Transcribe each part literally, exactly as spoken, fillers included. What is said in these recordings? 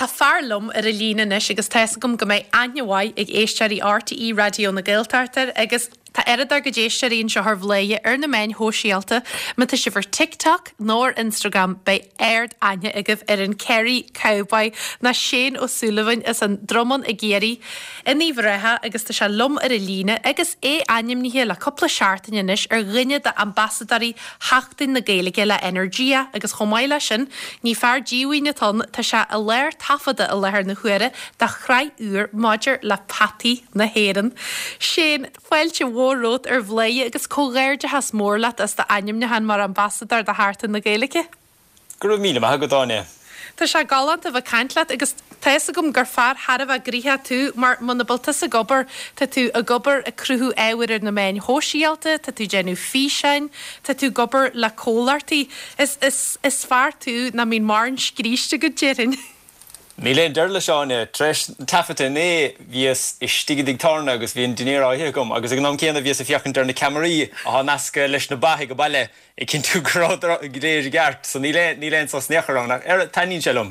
tá fear liom ar an líne anois agus tá fhios agam go mbeidh aithne mhaith ag éisteoirí RTÉ Raidió na Gaeltachta agus Tá oiread dár gcuid éisteoirí anseo ar Bhladhaire ar na meáin shóisialta, má tá sibh ar TikTok nó ar Instagram beidh ard aithne agaibh ar an Kerry Cowboy ná Shane Ó Súilleabháin as an Dromán i gCiarraí in Uíbh Ráthach agus tá sé liom ar an líne agus é ainmnithe le cúpla seachtain anois ar dhuine d'ambasadóirí Sheachtain na Gaeilge le Energia agus chomh maith leis sin ní fear díomhaoin atá ann, tá sé i lár taifeadta i láthair na huaire do shraith úr maidir le peataí na hÉireann. Shane, fáilte mhór romhat ar Bhladhaire agus comhghairdeachas mór leat as d'ainmniúchán mar ambasadóir do Sheachtain na Gaeilge. Go raibh míle maith agat Áine. Tá sé galánta bheith caint leat agus tá fhios agam gur fear thar a bheith gnoitheach tú mar muna bhfuil tusa ag obair tá tú ag obair ag cruthú ábhair ar na meáin shóisialta, tá tú déanamh físeáin, tá tú ag obair le comhlachtaí. Is, is, is fear tú nach mbíonn mórán scríste agat déarfainn. Níl aon deireadh leis Áine, tar éis taifeadta inné bhíos istigh i dtigh tábhairne agus bhí an dinnéar á ithe agam agus ag an am céanna bhíos ag féachaint ar na ceamaraí atá nasctha leis na ba ag an baile ag cinntiú go raibh go léir i gceart, so níl aon níl aon sos in aon chor ann ach ar taitníonn sé liom.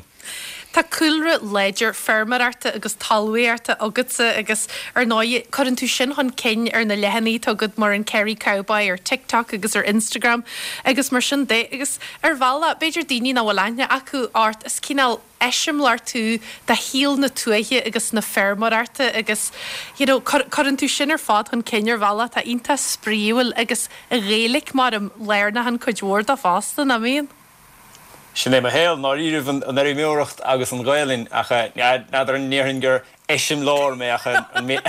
Tá cúlra láidir feirmeoireachta agus talmhaíochta agatsa agus ar ndóigh cuireann tú sin chun cinn ar na leathanaigh atá agat mar an Kerry Cowboy ar TikTok agus ar Instagram agus mar sin de agus ar bhealach b'fhéidir daoine nach bhfuil aithne acu ort is cineál eiseamláir tú de shaol na tuaithe agus na feirmeoireachta agus you know, cuireann tú sin ar fad chun cinn ar bhealach atá iontach spraíúil agus an Ghaeilge mar an lárnach an cuid mhór de fosta nach mbíonn. Sin é mo shaol dáiríre an fheirmeoireacht agus an Ghaelainn ach n'fheadar an ndéarfainn gur eiseamláir mé ach an méid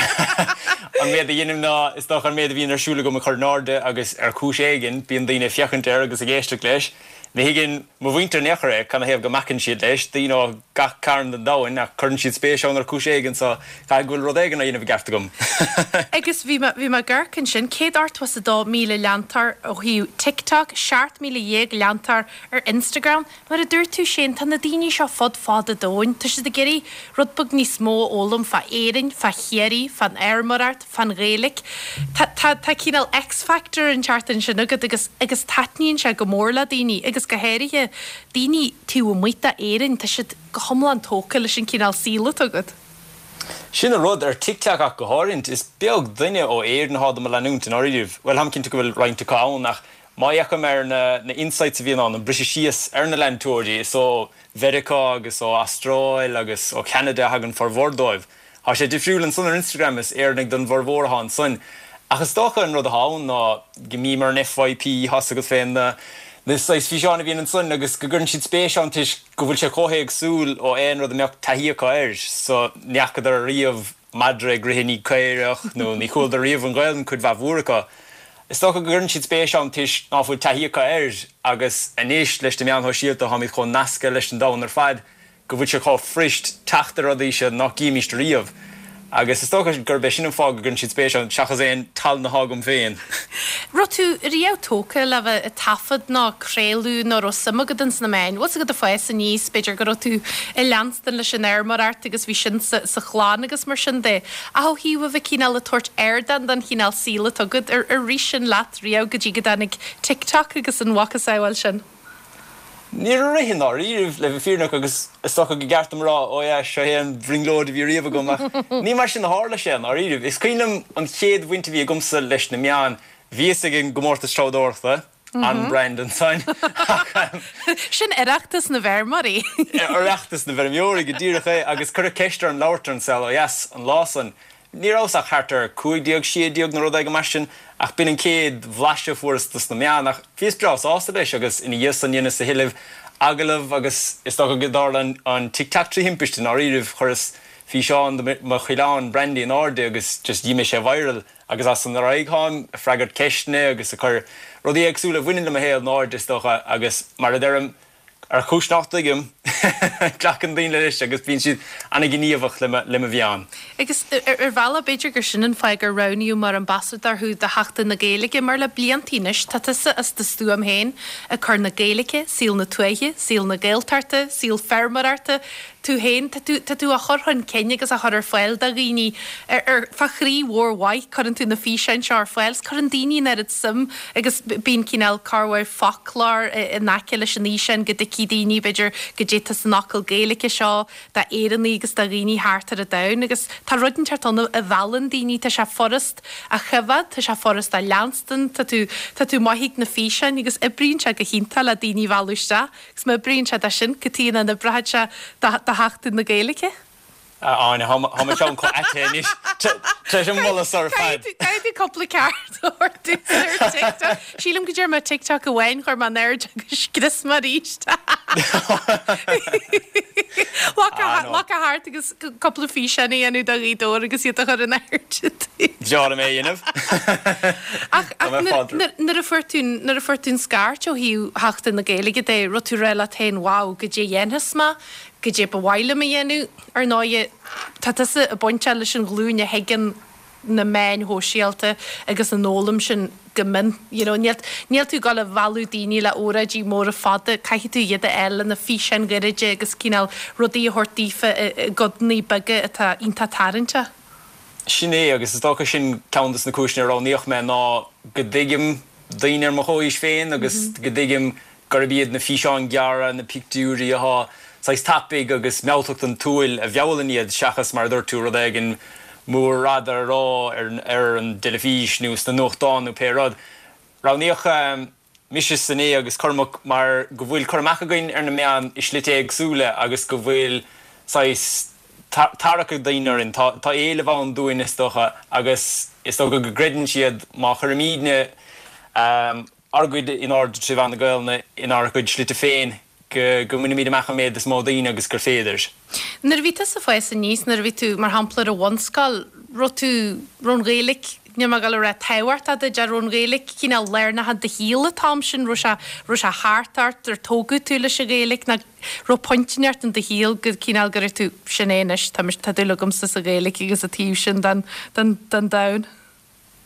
a dhéanaim ná is dócha an méid a bhíonn ar siúl agam a chur in airde agus ar chúis éigin bíonn daoine ag féachaint air agus ag éisteacht leis. Ní thuigeann mo mhuintir in aon chor é canathaobh go mbacann siad leis, daoine ó gach cearn den domhan ach cuireann siad spéis ann ar chúis éigin so caithfidh go bhfuil rud éigin á dhéanamh i gceart agam. Agus bhí bhí mé ag amharc ansin céad ochtó is a dó míle leantóir ó thaobh TikTok, seacht míle dhéag leantóir ar Instagram. Mar a dúirt tú Shane, tá na daoine seo fud fad an domhain, Tá siad ag iarraidh rud beag níos mó a fhoghlaim fá Éirinn, fá Chiarraí, fán fheirmeoireacht, fán Ghaeilge. Tá tá tá cineál X-factor inteacht ansin agat agus agus taitníonn sé go mór le daoine agus go háirithe daoine taobh amuigh d'Éirinn, tá siad go hiomlán tógtha leis an cineál saoil atá agat. Sin an rud ar TikTok ach go háirithe is beag duine ó Éirinn atá do mo leanúint in áiríomh. Well táim cinnte go bhfuil roinnt acu ann ach má fhéachaim ar na, na insights a bhíonn ann an briseadh síos ar na leantóirí is ó Mheiriceá agus ó Astráil agus ó Canada a thagann formhór dóibh. Tá sé difriúil ansan ar Instagram is Éireannaigh don bhformhór atá ansan. Ach is dócha an rud atá ann ná go mbím ar an FYP tá a fhios agat féin na na saghas físeáin a bhíonn ansan agus go gcuireann siad spéis ann toisc go bhfuil sé chomh héagsúil ó aon rud a mbeadh taithí acu air, so ní fhacadar riamh madra ag rith i ndiaidh caorach nó ní chualadar riamh an Ghaelainn cuid mhaith mhór acu. Is dócha go gcuireann siad spéis ann toisc ná fuil taithí acu air agus anois leis na meáin shóisialta táimid chomh nasctha leis an domhan ar fad go bhfuil sé chomh fuirist teacht ar rudaí seo nach gcímist riamh. Agus is dócha gurb é sin an fáth go gcuireann siad spéis ann seachas aon tallann atá agam féin. Raibh tú riamh tógtha le bheith ag taifead nó craoladh nó raibh suim agat ins na meáin. Bhfuil a fhios agat ag fás aníos, b'fhéidir go raibh tú ag leanstan leis an fheirmeoireacht agus bhí sin sa, sa chlann agus mar sin de. Ach ó thaobh a bheith cineál ag tabhairt ardán don chineál saoil atá agat ar ar rith sin leat riamh go dtí go dtáinig TikTok agus an mhacasamhail sin. Níor rith i ndáiríribh le bheith fírinneach agus is dócha go gceart dom a rá ó yeah seo é an bhrionglóid a bhí riamh agam ach ní mar sin a tharla sé i ndáiríribh. Is cuimhin liom an chéad bhaint a bhí agamsa leis na meáin, bhíos ag an gcomórtas treabhdóireachta, an brand ansan Sin Oireachtas na bhfeirmeoirí. Oireachtas na bhfeirmeoirí go díreach é agus cuireadh ceist orm labhairt ar an Saol Ó Dheas an lá san. Ní rabhas ach thart ar cúig déag sé déag nó rud éigin mar sin ach b'in an chéad bhlaiseadh a fuaireas dos na meáin ach bhíos breá sásta leis agus ina dhiaidh san dheineas a thuilleadh agallamh agus is dócha go dtarla an TikTok trí thimpiste i ndáiríribh chuireas físeán de mo choileán Brandy in airde agus just d'imigh sé viral agus as san ar aghaidh táim ag freagairt ceisteanna agus ag cur rudaí éagsúla a bhaineann le mo shaol in airde is dócha agus mar a deirim ar chúis nach dtuigim glacann daoine leis agus bíonn siad an-ghníomhach le le mo mheán. Agus ar bhealach b'fhéidir gur sin an fáth gur roghnaíodh mar ambasadóir thú do Sheachtain na Gaeilge mar le blianta anois tá tusa as do stuaim féin ag cur na Gaeilge, saol na tuaithe, saol na Gaeltachta, saol feirmeoireachta, tú féin tá tú tá tú á chur chun cinn agus á chur ar fáil do dhaoine ar ar fá chroí mhór mhaith cuireann tú na físeáin seo ar fáil, cuireann daoine an oiread suim agus bíonn cineál corrmhór foclóir in aice leis an fhíseán go dtuigfidh daoine b'fhéidir go goidé tá san fhocal Gaeilge seo d'Éireannaigh agus do dhaoine thart ar an domhan agus tá rud inteacht ann a mheallann daoine, tá sé furast a choimhéad, tá sé furast a leanstan, tá tú tá tú maith ag na físeáin agus oibríonn sé go hiontach le daoine a mhealladh isteach agus má oibríonn sé dó sin, cad chuige nach n-oibreoidh sé do Sheachtain na Gaeilge? A Áine, tá mo cheann chomh ait anois tar éis an moladh seo ar fad. Caithfidh tú cúpla ceart a thabhairt domhsa ar TikTok. Sílim go dtearn mé TikTok amháin, chuir mé in airde agus scrios mé arís. Glacadh thart agus cúpla físeán a dhéanamh do Ghaoth Dobhair agus iad a chur in airde. Bhearr mé a dhéanamh. Ach nuair a fuair tú nuair a fuair tú an scairt ó thaobh Sheachtain na Gaeilge de, raibh tú ag rá leat féin, wow, goidé a dhéanfas mé, goidé ba mhaith liom a dhéanamh, ar ndóighe, tá tusa ag baint leis an ghlúin a thuigeann na meáin shóisialta agus an fhoghlaim sin go mion. You know, níl, níl tú ag gabháil a mhealladh daoine le óráidí móra fada, caithfidh tú iad a fháil le na físeáin ghairide agus cineál rudaí a thabhairt daofa i, i gcodanna beaga atá iontach tarraingteach. Sin é, agus is dócha sin ceann de na cúiseanna a roghnaíodh mé ná go dtuigim daoine ar mo chomhaois féin agus go dtuigim gurb iad na físeáin ghearra, na pictiúirí atá saghas tapaidh agus mealltacht an tsúil a mheallann iad seachas mar a dúirt tú rud éigin mór fada a rá ar, ar an dteilifís nó sna nuachtáin nó pé rud. Roghnaíodh mise Sinéad agus Cormac mar go bhfuil cur amach againn ar na meáin i slite éagsúla agus go bhfuil saghas tarrac ag daoine orainn. Tá, tá éileamh ann dúinn is dócha agus is dócha go gcreideann siad má chuirimidne um, ár gcuid in airde trí mheán na Gaelainne inár gcuid slite féin go, go mbainimid amach an méid is mó daoine agus gur féidir. Nuair a bhí tusa ag fás aníos, nuair a bhí tú mar shampla ar an bhunscoil, raibh tú raibh an Ghaeilge, níl mé ag gabháil a rá tábhachtach duit, raibh an Ghaeilge cineál lárnach i do shaol an t-am sin, raibh sé raibh sé thart ort, ar tógadh tú leis an Ghaeilge nó raibh pointe inteacht in do shaol go cineál go raibh tú sin é anois, tá tá dúil agamsa sa Ghaeilge agus an taobh sin den den den domhan.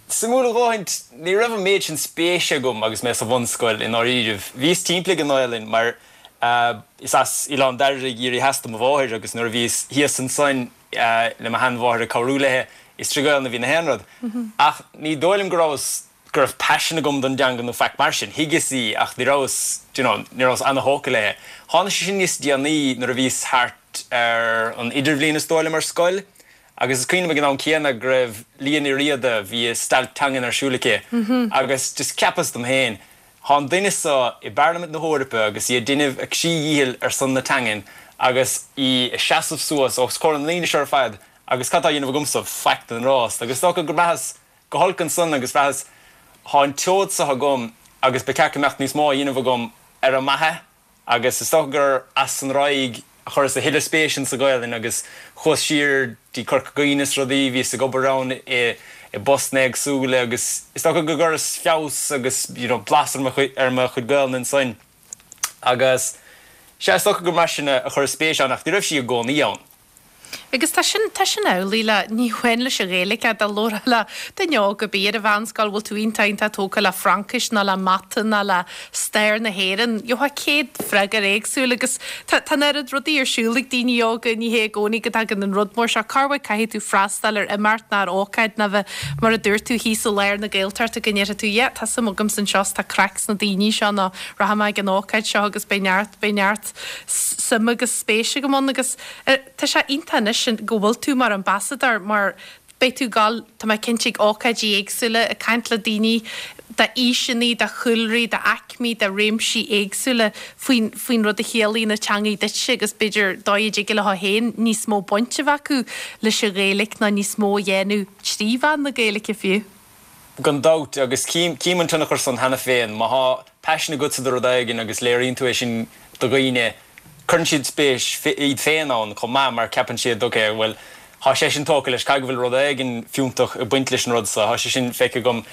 Suimiúil a dhóthain, ní raibh an méid sin spéise agam agus mé sa bhunscoil i ndáiríribh. Bhíos timpeall ag an nGaelainn mar uh, is as Oileán Dairbhre i gCiarraí Theas do mo mháthair agus nuair a bhíos thíos ansan uh, le mo sheanmháthair ag cabhrú léi is trí Ghaelainn a bhí na haon rud. Ach ní dóigh liom go rabhas go raibh paisean agam don dteanga nó faic mar sin, thuigeas í ach ní rabhas you know, ní rabhas an-thógtha léi. Tháinig sé sin níos déanaí nuair a bhíos thart ar an idirbhliain is dóigh liom ar scoil, agus is cuimhin liom ag an am céanna go raibh Liadh Ní Riada bhí stailc teangan ar siúl aici agus just cheapas dom féin. Tá an duine seo i bParlaimint na hEorpa agus í ag déanamh a croí díchill ar son na teangan agus í ag seasamh suas os comhair na ndaoine seo ar fad agus cad tá á dhéanamh agamsa faic den rás, agus dócha go mbraitheas go holc ansan agus bhraitheas tá an tseoid seo agam agus ba cheart go mbeadh níos mó á dhéanamh agam ar a mhaithe agus is dócha gur as an ráig a chuireas a thuilleadh spéis sa Ghaelainn agus chuas siar dtí Corca Dhuibhne is rudaí bhíos ag obair ann i i bpostanna éagsúla agus is dócha go gcuireas feabhas agus you know, blas ar mo chuid ar mo chuid Gaelainne ansan. Agus sé is dócha gur mar sin a chuir spéis ann ach ní raibh sí i gcónaí ann. Agus tá sin tá sin amhlaidh le ní hamháin leis an Ghaeilge dá labhrófá le duine óg ar bith ar an mheánscoil bhfuil tú iontach iontach tógtha le Fraincis nó le mata nó le stair na hÉireann. Gheofá céad freagra éagsúil agus tá tá an oiread rudaí ar siúl ag daoine óga ní hé i gcónaí go dtagann an rud mór seo corruair caithfidh tú freastal ar imeacht nó ar ócáid nó bheith mar a dúirt tú thíos i lár na Gaeltachta go ndéarfaidh tú yeah, tá suim agam anseo tá craic sna daoine seo nó rachaidh mé ag an ócáid seo agus beidh neart beidh neart suim agus spéis agam ann agus eh, tá sé iontach anois sin go bhfuil tú mar ambasadóir mar beidh tú gal tá mé cinnte ag ócáidí éagsúla ag caint le daoine d'aoiseanna, de chúlraí, d'aicmí, de réimsí éagsúla faoin faoin rud a chiallaíonn na teangaí duitse agus b'fhéidir dóigh a dtig leo féin níos mó baint a bheith acu leis an Ghaeilge ná níos mó a dhéanamh trí mheán na Gaeilge fiú. Gan dabht agus cím cím an tionchar san cheana féin, má tá paisean agatsa do rud éigin agus léiríonn tú é sin do dhaoine, cuireann siad spéis iad féin ann chomh maith mar ceapann siad okay, well tá sé sin tógtha leis caithfidh go bhfuil rud éigin fiúntach ag baint leis an rud sa, tá sé sin feicthe agam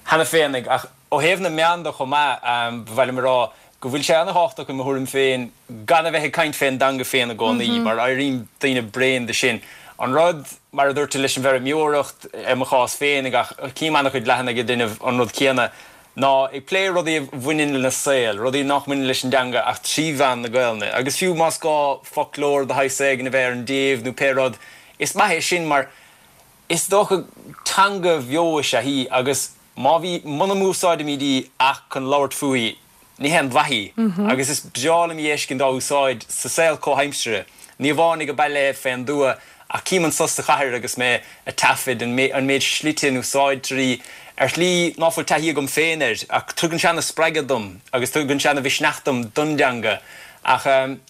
cheana féin ach ó thaobh na meán de chomh maith um, ba mhaith liom a rá go bhfuil sé an-tábhachtach i mo thuairim féin gan a bheith ag caint fén dteanga féin i gcónaí mar éiríonn daoine bréan de sin. An rud mar a dúirt tú leis an bhfeirmeoireacht i mo chás féin ach cím an-chuid leathanaigh ag déanamh an rud céanna ná ag plé rudaí a bhaineann lena saol, rudaí nach mbaineann leis an dteanga ach trí mheán na Gaelainne. Agus fiú más gá foclóir de shaghas éigin a bheith ar an dtaobh nó pé rud, is maith é sin mar is dócha teanga bheo is ea í agus má bhí muna n-úsáidimid í ach chun labhairt fúithi, ní haon mhaith í agus is breá liom í a fheiscint á úsáid sa saol comhaimseartha, ní amháin ag baile fén dtuath ach cím anso sa chathair agus mé ag taifead an méid slite a n-úsáidtear í ar shlí ná fuil taithí agam féin air ach tugann sé ana-spreagadh dom agus tugann sé ana-mhisneach dom don dteanga. Ach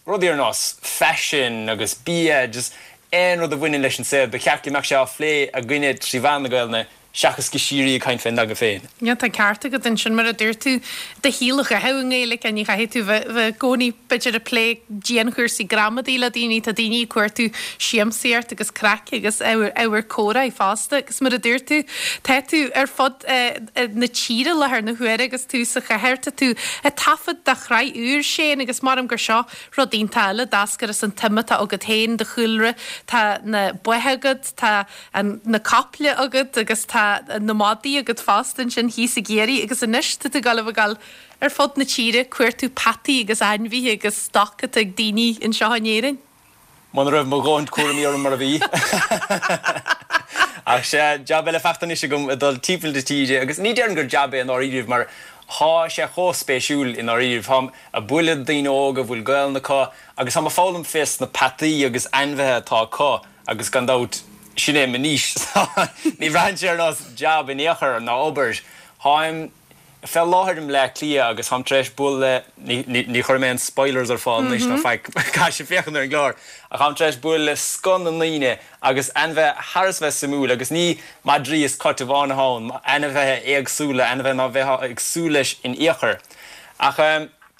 rudaí ar nós faisin agus bia, just aon rud a bhaineann leis an saol, ba cheart go mbeadh sé á phlé againne trí mheán na Gaelainne seachas go síoraí ag caint fén dteanga féin. Yeah, tá ceart agat ansin mar a dúirt tú, do shaol a chaitheamh i nGaeilge, ní chaithfidh tú bheith i gcónaí b'fhéidir ag plé dianchúrsaí gramadaí le daoine, tá daoine ag cuartú siamsaíocht agus craic agus ábhar comhrá fosta agus mar a dúirt tú, tá tú ar fud na tíre i láthair na huaire agus tú sa chathair, tá tú ag taifead do shraith úr, Shane, agus maram gur seo rud iontach eile a d'eascair as an tsuim atá agat féin, do chúlra, tá na ba agat, tá na caiple agat agus tá na madaí agat fosta ansin thíos i gCiarraí agus anois tá tú ag dul a ghabháil ar fud na tíre ag cuartú peataí agus ainmhithe agus stoc atá ag daoine anseo in Éirinn. Muna raibh mo dhóthain cúraimí orm mar a bhí. Ach sea, jab eile fachta anois agam ag dul timpeall na tíre agus ní déarfainn gur jab é i ndáiríribh mar thá sé chomh spéisiúil i ndáiríribh. Táim ag bualadh daoine óga a bhfuil Gaelainn acu agus táim ag foghlaim fés na peataí agus ainmhithe atá acu agus gan dabht sin é mo niche so ní bhraitheann sé ar nós jab in aon chor ná obair. Táim fé láthair i mBleá Cliath agus táim tar éis bualadh le, ní, ní, ní chuirfidh mé aon spoilers ar fáil anois ná faic, caithfidh sibh féachaint ar an gclár, ach táim tar éis bualadh le scoth na ndaoine agus ainmhithe thar is bheith suimiúil agus ní madraí is cait amháin atá ann, ainmhithe éagsúla, ainmhithe ná bheifeá ag súil leis in aon chor. Ach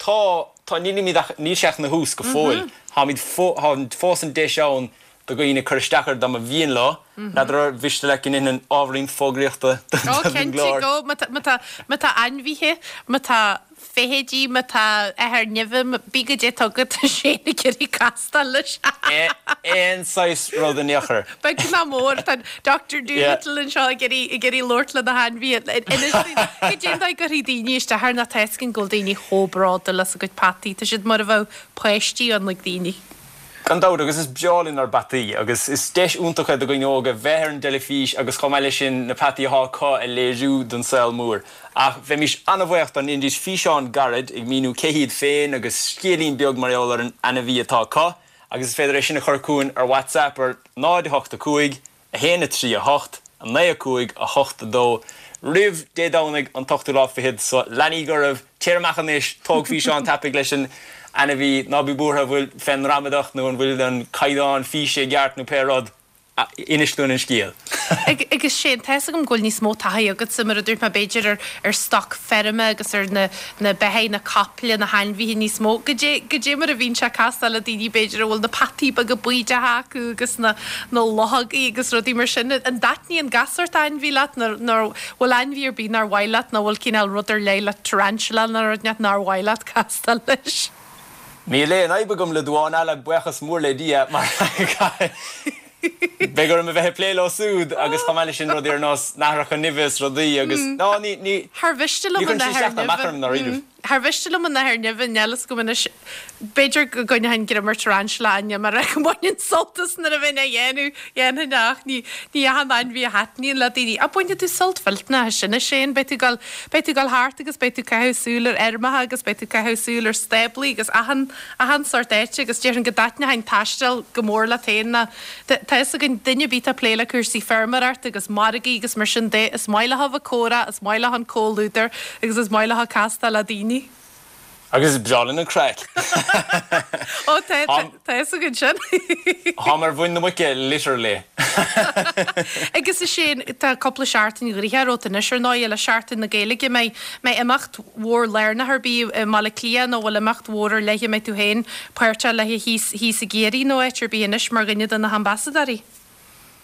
tá, tá, nílimid ach, níl sé ach ina thús go fóill. Táimid fó, tá fós an deis ann do dhaoine cur isteach air dá mba mhian leo. N'fheadar ar mhiste leat go ndéanfainn ábhairín fógraíochta don Ó, cinnte, gclár. go. Má tá, má tá, má tá ainmhithe, má tá feithidí, má tá athair nimhe, bí go dté tá agat, tá sé ag iarraidh castáil leis. Aon saghas rud in aon chor. Beag ná mór, tá Doctor Dolittle anseo ag iarraidh, ag iarraidh labhairt le na hainmhithe. Inis dúinn, goidé an dóigh a gcuirfidh daoine isteach air ná tá a fhios againn go bhfuil daoine chomh bródúil as a gcuid peataí. Tá siad mar a bheadh páistí ann ag daoine. Gan dabht, agus is breá linn ár bpeataí, agus is deis iontach é do dhaoine óga bheith ar an dteilifís agus chomh maith leis sin na peataí atá acu a léiriú don saol mór. Ach bheimis an-bhuíoch dá ndéanfaidís físeán gairid ag míniú cé hiad féin agus scéilín beag mar gheall ar an ainmhí atá acu, agus is féidir é sin a chur chugainn ar WhatsApp ar náid a hocht a cúig, a haon a trí a hocht, a naoi a cúig, a hocht a dó roimh Dé Domhnaigh an t-ochtú lá fichead so leanaíg oraibh, téir amach anois, tóg físeán tapaidh leis an ainmhí, ná bí buartha an bhfuil fén ngramadach nó an bhfuil an caighdeán físe i gceart nó pé rud, inis dúinn an scéal. Agus Shane, tá fhios agam go bhfuil níos mó taithí agatsa, mar a dúirt mé, b'fhéidir ar ar stoc feirme agus ar na na beithígh, na caiple, na hainmhithe níos mó. Goidé goidé mar a bhíonn sé castáil le daoine b'fhéidir a bhfuil na peataí beaga baoideacha acu agus na na luchógaí agus rudaí mar sin. An dtaitníonn gach sórt ainmhí leat nó nó bhfuil ainmhí ar bith nár mhaith leat nó bhfuil cineál rud ar leith le tarantula nó rud inteacht nár mhaith leat castáil leis? Níl aon fhadhb agam le damhán alla, buíochas mór le Dia, mar beidh orm a bheith ag plé leo súd agus chomh maith leis sin rudaí ar nós nathracha nimhe is rudaí agus ná ní ní Thar mhiste ní liom an chuireann sé nathair isteach ná amach nimhe. orm dáiríre. Thar mhiste liom an nathair nimhe, níl fhios agam anois, b'fhéidir go gcoinneoinn greim ar tarantula Áine mar go mbaineann sult as nuair a bheinn á dhéanamh, dhéanfainn ach ní ní achan ainmhí a thaitníonn le daoine. Ach bainfidh tú sult mhillteanach as sin a Shane, beidh tú ag dul beidh tú ag dul thart agus beidh tú ag caitheamh súil ar fheirmeacha agus beidh tú ag caitheamh súil ar stáblaí agus achan achan sórt áite agus déarfainn go dtaitneoidh an taisteal go mór leat féin ná tá fhios againn duine ar bith atá ag plé le cúrsaí feirmeoireachta agus margaí agus mar sin de, is maith leo a bheith ag comhrá, is maith leo an comhluadar agus is maith leo castáil le daoine. Agus is breá linn an craic. Ó tá tá fhios againn sin. Táim ar mhuin na muice, literally. Agus a Shane, tá cúpla seachtain gnoitheach romhat anois ar ndóigh le Seachtain na Gaeilge mbeidh mbeidh imeacht mhór lárnach ar bith i mBaile Átha Cliath nó bhfuil imeacht mhór ar leith a mbeidh tú féin páirteach léi thíos thíos i gCiarraí nó áit ar bith anois mar dhuine de na hambasadóirí.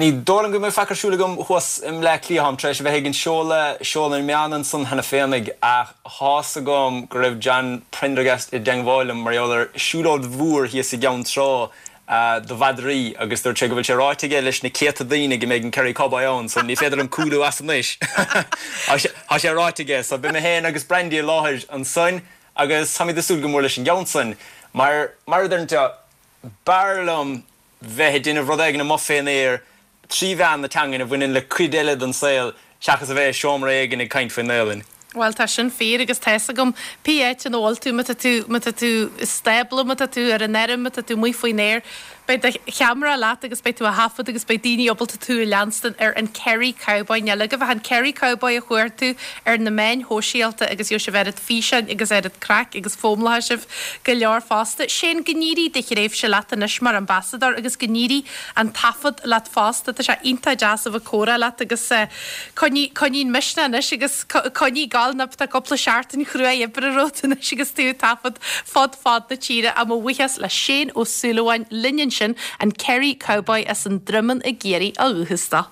Ní dóigh liom go mbeidh faic ar siúl agam thuas i mBleá Cliath, táim tar éis a bheith ag an seoladh, seoladh na meán ansan cheana féinig ach tá's agam go raibh John Prendergast i dteangmháil liom mar gheall ar siúlóid mhór thíos i gCeann Trá do mhadraí agus dúirt sé go bhfuil sé ráite aige leis na céadta daoine go mbeidh an Kerry Cowboy ann so ní féidir liom cúlú as anois. Tá sé ráite aige so beidh mé féin agus Brandy i láthair ansan agus táimid ag súil go mór leis an gceann san mar mar a deireann tú b'fhearr liom bheith ag déanamh rud éigin amuigh fén aer trí mheán na teangan a bhaineann le cuid eile den saol seachas a bheith i seomra éigin ag caint faoin nGaelainn. Bhuel tá sin fíor agus tá fhios agam pé áit ina bhfuil tú, má tá tú, má tá tú i stábla, má tá tú ar an fheirm, má tá tú amuigh faoin aer, beidh do cheamara leat agus beidh tú á thaifead agus beidh daoine ábalta tú a leanstan ar an Kerry Cowboy. Níl agaibh ach an Kerry Cowboy a chuartú ar na meáin shóisialta agus gheobhaidh sibh oiread físeáin agus oiread craic agus foghlaimeoidh sibh go leor fosta. Shane, go n-éirí do thréimhse leat anois mar ambasadóir agus go n-éirí an taifead leat fosta. Tá sé iontach deas a bheith ag comhrá leat agus coinnigh, coinnigh an misneach anois agus coinnigh ag gabháil nó tá cúpla seachtain chruaidh oibre romhat anois agus tú ag taifead fud fad na tíre. Mo bhuíochas le Shane Ó Súilleabháin linn ansin, an Kerry Cowboy as an Droimeann i gCiarraí ó dhúchas dó.